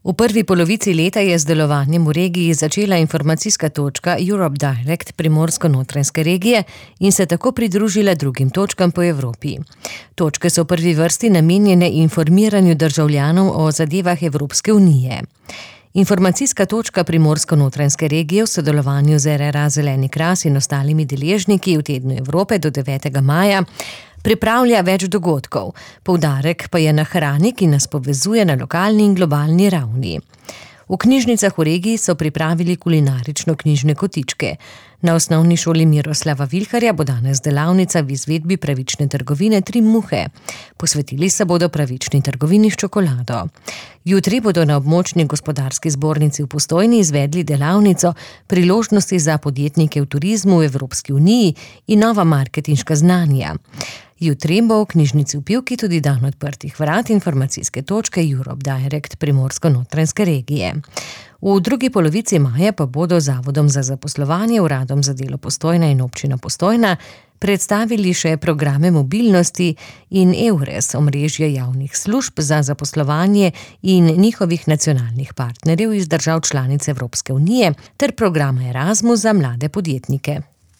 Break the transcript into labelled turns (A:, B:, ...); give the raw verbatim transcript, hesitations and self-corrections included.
A: V prvi polovici leta je z delovanjem v regiji začela informacijska točka Europe Direct primorsko-notranjske regije in se tako pridružila drugim točkam po Evropi. Točke so v prvi vrsti namenjene informiranju državljanov o zadevah Evropske unije. Informacijska točka primorsko-notranjske regije v sodelovanju z R R A Zeleni Kras in ostalimi deležniki v tednu Evrope do devetega maja pripravlja več dogodkov, poudarek pa je na hrani, ki nas povezuje na lokalni in globalni ravni. V knjižnicah v regiji so pripravili kulinarično-knjižne kotičke. Na osnovni šoli Miroslava Vilharja bo danes delavnica v izvedbi pravične trgovine Tri muhe. Posvetili se bodo pravični trgovini s čokolado. Jutri bodo na območni gospodarski zbornici v Postojni izvedli delavnico Priložnosti za podjetnike v turizmu v Evropski uniji in nova marketinška znanja. Jutri bo v knjižnici v Pivki tudi dan odprtih vrat informacijske točke Europe Direct primorsko-notranjske regije. V drugi polovici maja pa bodo Zavodom za zaposlovanje, Uradom za delo Postojna in Občina Postojna predstavili še programe mobilnosti in EURES, omrežje javnih služb za zaposlovanje in njihovih nacionalnih partnerjev iz držav članic Evropske unije ter programa Erasmus za mlade podjetnike.